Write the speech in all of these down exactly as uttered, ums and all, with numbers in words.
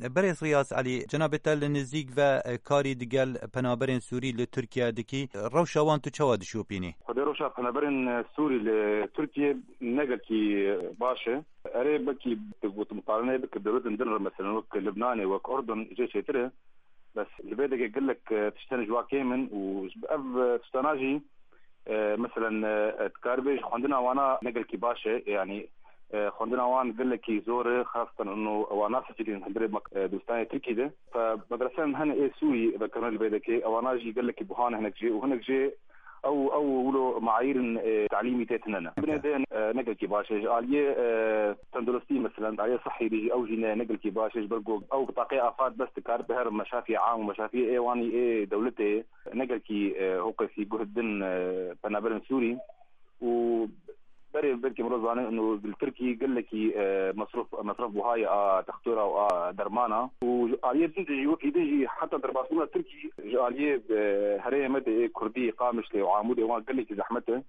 Berêz Riyaz Elî, cenabê te li nizîk ve, e, karî digel penaberên Sûrî li Tirkiye dikî. Rewşa wan tu çawa dişopînî? Xwedê rewşa penaberên, e, Sûrî li Tirkiye ne gelkî, e, baş e. Erê, belkî tu gotin muqarene bike dewletên din re, meselen wek Libnanê, wek Urdun jê çêtir e. Bes li vê deke gelek, e, tişt hene ji wa kêm in û ji ev, e, tiştana jî, e, meselen, e, e, dikaribê ji xwendina wana ne gelkî baş e, yanî, e, xwendina wan gelekî zor e, xastan û wan nasicilîn hundirê mek-, e, dibistanê Tirkî de. Fe medresen hene ê Sûrî vekirine li vê deke, ewana jî gelekî buha ne hinek jê û hinek jê ew, ew wilo maîrên, e, talîmî tê tune ne. Binê de, e, ne gelkî baş e. Ji aliyê, e, tenduristî, meselen, aliyê sihî de jî ew jî ne, ne gelkî baş e. Ji ber ku ew bitaqê afat bes dikar bi her meşafiyê am û meşafiyê ê wanî ê dewletê ne gelkî, e, hoqesî guh din, e, penaberên Sûrî û berê belkî mirov zane û li Tirkî gelekî, e, mesrûf, mesref buhayê a textora û a dermana û ji aliyê din de jî wekî din jî heta derbasbûna Tirkî ji aliyê, e, herêmê me de ê Kurdî, Qamişlê û Amûdê wan gelekî zehmet e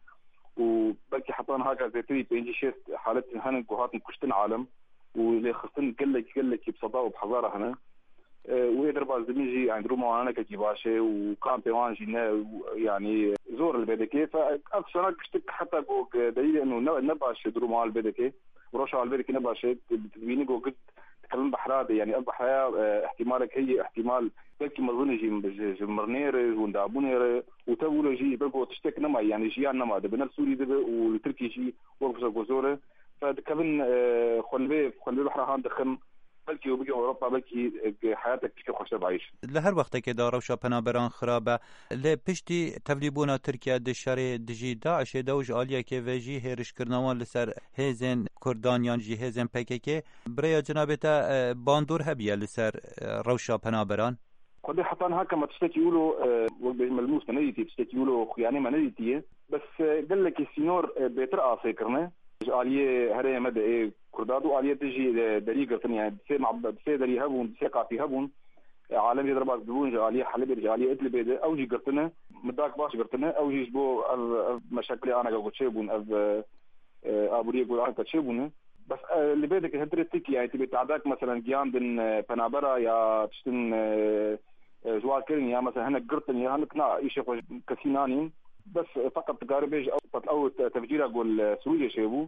û belkî heta niha ka zêtirî pêncî şêst halet hene ku hatin kuştin alem û lê xistin gelekî, gelekî bi seda û bi hezara hene. E, û ê derbas dibin jî, yani, duruma wan ne gelekî baş e û kampê wan jî ne, yani, zor li vê dikê. Fe ev tiştana giştik heta ku, e, delîlê eno ne, ne baş e duruma wan li vê dikê. Rewşa wan li vê dikê ne baş e. Tu, tu dibînî ku gid dikevin behra de, yani, ev behraya, e, ihtimalek heye, ihtimal belkî mezin e jî ji, ji mirinê re, ji windabûnê re û tev wilo jî ji ber ku tiştek nema, yani, jiyan nema, dibe ne li Sûrî dibe û li Tirkî jî wek ku zor e. Fe dikevin, e, xwe li vê, xwe li vê behra han dixin. Belkî û bigihîn Ewropa, belkî, e, heyatek pişkê xweştir dayîş. Li her wextekê de rewşa penaberan xirab e. Lê piştî tevlîbûna Tirkiye di şerê dijî DAIŞê de û ji aliyekê ve jî hêrişkirina wan li ser hêzên Kurdan yan jî hêzên P K K, bi rêya cenabê te, e, bandor hebiye li ser, e, rewşa penaberan? Xwedê heta niha ke me tiştekî wilo, e, wek bêjim melmûs me nedîtiye, tiştekî wilo xuyanê me nedîtiye. Bes, e, gelekî sînor, e, bêtir asê kirine. Ji aliyê herêmê me de ê Kurda du aliyê din jî, e, derî girtin, yani sê mab-, sê derî hebûn, sê qapî hebûn. E, alem jê derbas dibûn ji aliyê Helebê, ji aliyê Idlibê de ew jî girtine. Midak baş girtine. Ew jî ji bo ev, ev meşeklê anaka ku çêbûn, ev, e, e, aboriyê ku anaka çêbûne. Bes, e, li vê dike hundirê Tirkî, yani tibê te'dak, meselen, giyandin, e, penabera ya tiştin, e, e, ji wan kirin ya, mesela, hinek girtin ya hinek na, îşê xwe ji kesî nanîn. Bes, e, feqet dikare bêje ew, qet ew te-, tevcîra ku li Sûriyê çêbû,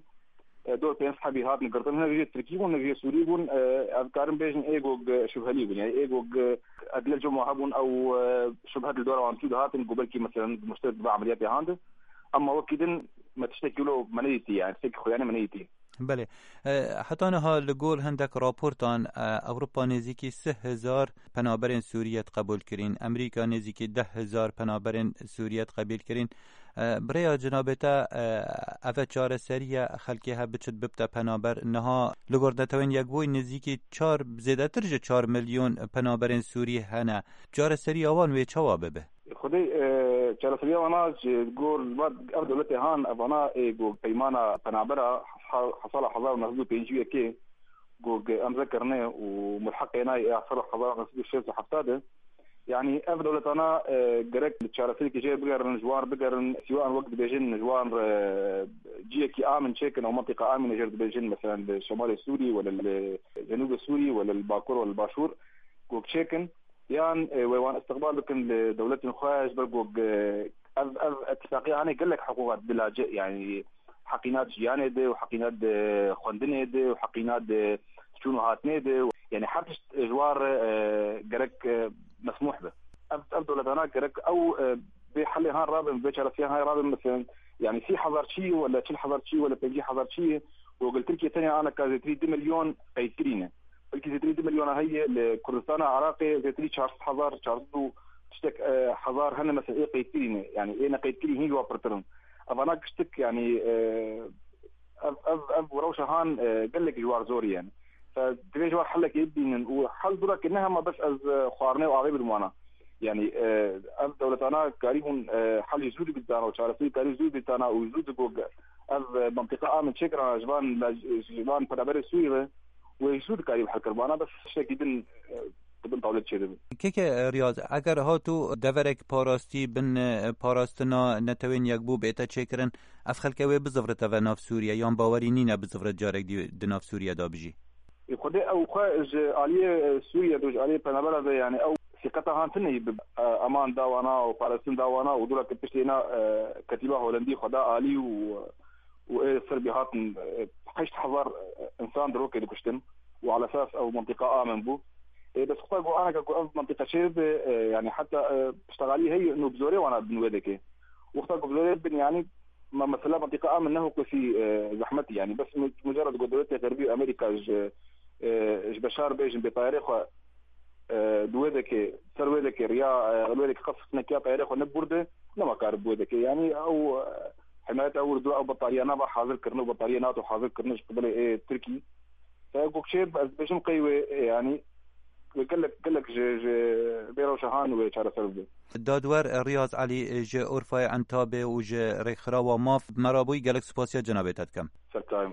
e, dor pênc hebî hatin girtin, hinek jê Tirkî bûn, hinek jê Sûrî bûn, e, ev dikarin bêjin ê ku, e, şubhelî bûn. Yani ê ku, e, edle cuma hebûn ew, e, şubhet li dora wan çû dihatin ku belkî, meselen, muşterik dibe emeliyatê handi. Ama wekî din me tiştekî wilo me nedîtî, yani tiştekî xuyanê me nedîtî. Belê. E, heta niha li gor hindek raportan, e, Ewropa nêzîkî sih hezar penaberên Sûriyê diqebûl kirîn. Amerîka nêzîkî deh hezar penaberên Sûriyê diqebîl kirîn. E, bi rêya cenabê te, e, eve çareseriye xelkê hev biçit bibte penaber. Niha li gor Netewên Yekbûyî nêzîkî çar, zêdetir ji çar milyon penaberên Sûrî hene. Çareseriya wan wê çawa bibe? Xwedê, e, çareseriya wana ji gor va ev dewletê han, evana ê ku peymana penabera ha-, sala hezar û neh sed û pêncî û yekê ku ge-, emze kirine û mulheqê nayê ê sala hezar û neh sed û şêst û hefta de. Yani ev dewletana, e, gerek çareserîkê jê bigerin, ji wan bigerin, sîwan wek dibêjin, ji wan re ciyekî amin çêkin, ew mentiqa amin jê dibêjin, mesela li Şemalê Sûrî, wele li Cenûbê Sûrî, wele li Bakur, wele li Başûr, ku çêkin. Yan, e, wê wan istiqbal bikin li dewletên xwe, ji ber ku, e, ev, ev îtifaqiya hanê gelek hiqûqa dilace, yani heqîna di jiyanê de û heqîna di xwendinê de û heqîna di çûn û hatinê de, yani her tişt ji wan re, e, gerek, e, mesmûh be. Ev, ev dewletana gerek ew, e, bê helê han rabin, bê çareseriyê han rabin, mesela, yani sî hezar çî wele çil hezar çî wele pêncî hezar çî, û gel Tirkiye tenya aneka zêtirî du milyon qeydkirî ne. Belkî zêtirî du milyona heye, li Kurdistana Iraqê zêtirî çar sed hezar, çar sed û tiştek, e, hezar hene, mesela, ê qeydkirî ne. Yani ê neqeydkirî hîn ji wa pirtir in. Evana giştik, yani, e, ev, ev, ev rewşa han, e, gelek ji war zor yên. Fe divê ji war helekê bibînin û hel durakê ne hema bes ez, e, xwarinê û avê bidim wana. Yani, e, ev dewletana karîbûn, e, helî zû dibîtana û çareserî karî zû dibîtana û zû digot ev, e, mentiqa amin çêkirana ji van, ji van penaberê Sûrî re. Wê zû dikarî bi hel kir. Bana bes tiştekî din, e, di bin tawlê çêdibe. Keke Riyaz, eger hatû deverek parastî bin, e, parastina Netewên Yekbû bête çêkirin, ev xelke wê bizivrite ve nav Sûriye, yan bawerî nîne bizivrite carek dî di nav Sûriye de bijî? Xwedê ew xwe ji aliyê, e, Sûriye de, ji aliyê penabera de, yani ew sîqeta han tune bi, e, eman da wana û parastin da wana û dûra ke piştê na, e, ketîba Holendî xwe da alî û, û ê Serbî hatin, e, heşt hezar, e, insan di rokê dikuştin û alesas ew mintîqa amin bû. E, bes xwe got aneke ku ev mintîqa çê bibe, e, yani heta, e, piştegalî heye nû bi zorê wana bin wê deke. Wexta ku bi zorê bin, yani, ma mesela mintîqa amin ne hukûsî, e, zehmetî, yani, bes mu-, mucerred ku dewletê Xerbî û Amerîka ji, e, ji Beşar bêjin bê tayarê xwe, e, di wê deke, ser wê deke riya, e, wê deke qef nekiya tayarê xwe neburde, nema kar bi wê deke. Yani, ew, e, himayeta wir du ew betariya nava hazir kirine û betariya NATO hazir kirine ji qibelê ê Tirkî. Te ku çê ez bêjim qey wê, e, yani, wê gelek, gelek ji, ji bê rewşa han wê çareser bibe. Dadwer Riyaz Elî ji Urfayê Entabê û ji Rêkxirawa Maf, me re bûyî, gelek spasiya cenabê te dikim. Serkayim.